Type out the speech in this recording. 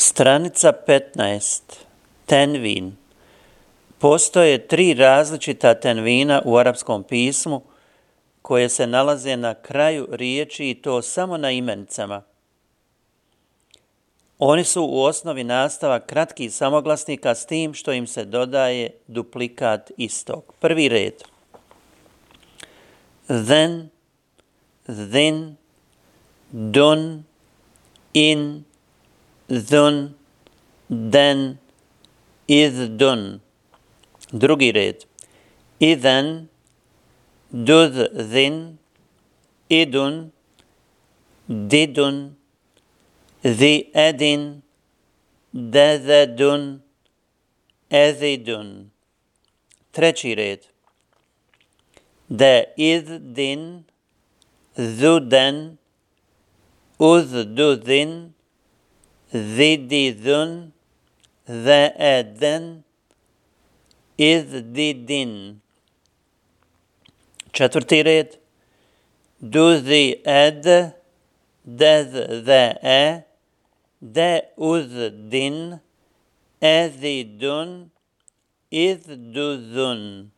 Stranica 15. Tenvin. Postoje 3 različita tenvina u arapskom pismu koje se nalaze na kraju riječi i to samo na imenicama. Oni su u osnovi nastavak kratkih samoglasnika s tim što im se dodaje duplikat istog. Prvi red. Then, then, dun, in, dhun, then, idhdun. Drugi red. Idhan, dudhin, idun, didun, dhi'adin, dadadun, edhidun. Treći red. Da idhin, dhudan, udhdudhin, dhididun, dha'adan, idhdidin. Četvrti red. Dudhi'ad, dadha'a, da'udhdin, edhidun, idhdudhun.